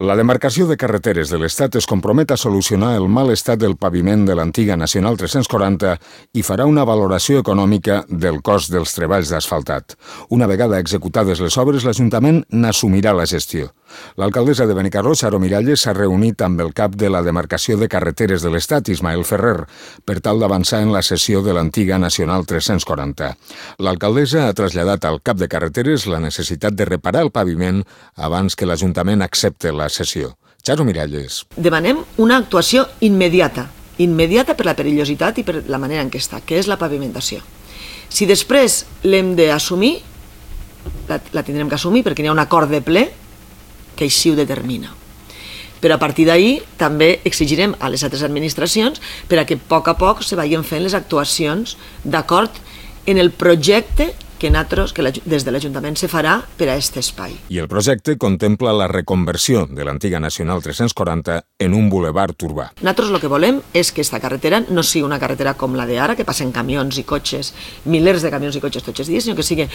La demarcació de carreteres de l'Estat es compromet a solucionar el mal estat del paviment de l'antiga Nacional 340 i farà una valoració econòmica del cost dels treballs d'asfaltat. Una vegada executades les obres, l'Ajuntament n'assumirà la gestió. L'alcaldessa de Benicarló, Charo Miralles, s'ha reunit amb el cap de la demarcació de carreteres de l'Estat, Ismael Ferrer, per tal d'avançar en la cessió de l'antiga Nacional 340. L'alcaldessa ha traslladat al cap de carreteres la necessitat de reparar el paviment abans que l'Ajuntament accepte la cessió. Charo Miralles. Demanem una actuació immediata per la perillositat i per la manera en què està, que és la pavimentació. Si després l'hem d'assumir, la tindrem que assumir perquè hi ha un acord de ple que així ho determina. Però a partir d'ahir també exigirem a les altres administracions per a que a poc se vagin fent les actuacions d'acord en el projecte que des de l'Ajuntament se farà per a aquest espai. I el projecte contempla la reconversió de l'antiga Nacional 340 en un bulevard urbà. Nosaltres el que volem és que aquesta carretera no sigui una carretera com la d'ara, que passen camions i cotxes, milers de camions i cotxes tots els dies, sinó que sigui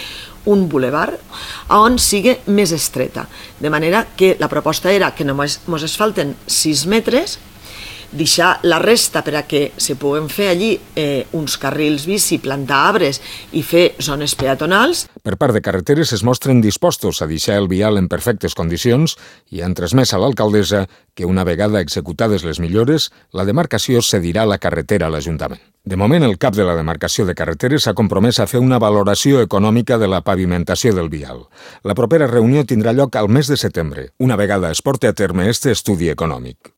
un bulevard on sigui més estreta. De manera que la proposta era que només ens falten 6 metres, deixar la resta per a que se puguen fer allí uns carrils bici, plantar arbres i fer zones peatonals. Per part de carreteres es mostren dispostos a deixar el vial en perfectes condicions i han transmès a l'alcaldessa que una vegada executades les millores, la demarcació cedirà la carretera a l'Ajuntament. De moment, el cap de la demarcació de carreteres s'ha compromès a fer una valoració econòmica de la pavimentació del vial. La propera reunió tindrà lloc al mes de setembre, una vegada es porti a terme este estudi econòmic.